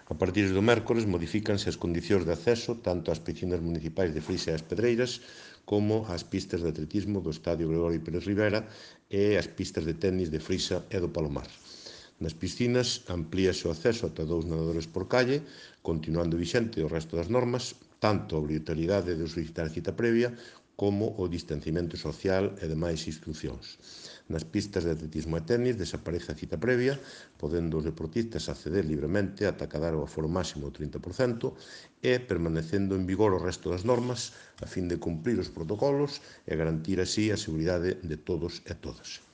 A partir do mércores modifícanse as condicións de acceso tanto ás piscinas municipais de Frise e as Pedreiras como ás pistas de atletismo do Estadio Gregorio Pérez Rivera e as pistas de tenis de Frisa e do Palomar. Nas piscinas amplíase o acceso ata 2 nadadores por calle, continuando vixente o resto das normas, tanto a obrigatoriedade de solicitar cita previa como o distanciamento social e demais instruccións. Nas pistas de atletismo e tenis desaparece a cita previa, podendo os deportistas acceder libremente ata cadar o aforo máximo do 30% e permanecendo en vigor o resto das normas a fin de cumprir os protocolos e garantir así a seguridade de todos e todas.